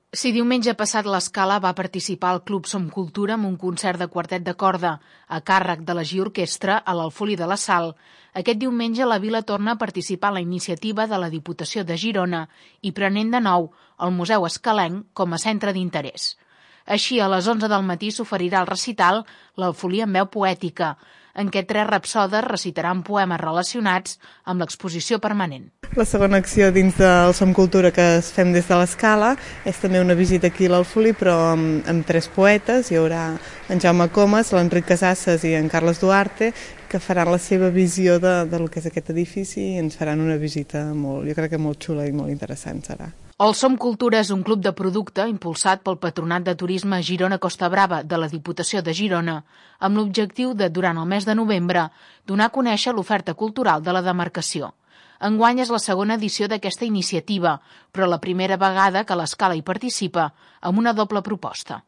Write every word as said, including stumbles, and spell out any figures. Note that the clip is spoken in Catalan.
Si diumenge passat l'Escala va participar al Club Som Cultura amb un concert de quartet de corda a càrrec de la G I Orquestra a l'Alfolí de la Sal, aquest diumenge la vila torna a participar en la iniciativa de la Diputació de Girona i prenent de nou el Museu Escalenc com a centre d'interès. Així, a les onze del matí s'oferirà el recital L'Alfolí en veu poètica, en què tres rapsodes recitaran poemes relacionats amb l'exposició permanent. La segona acció dins del Som Cultura que es fem des de l'Escala és també una visita aquí a l'Alfolí, però amb, amb tres poetes. Hi haurà en Jaume Comas, l'Enric Casasses i en Carles Duarte, que faran la seva visió de, de lo que és aquest edifici i ens faran una visita molt, jo crec que molt xula i molt interessant serà. El Som Cultura és un club de producte impulsat pel Patronat de Turisme Girona-Costa Brava de la Diputació de Girona, amb l'objectiu de, durant el mes de novembre, donar a conèixer l'oferta cultural de la demarcació. Enguany és la segona edició d'aquesta iniciativa, però la primera vegada que l'Escala hi participa amb una doble proposta.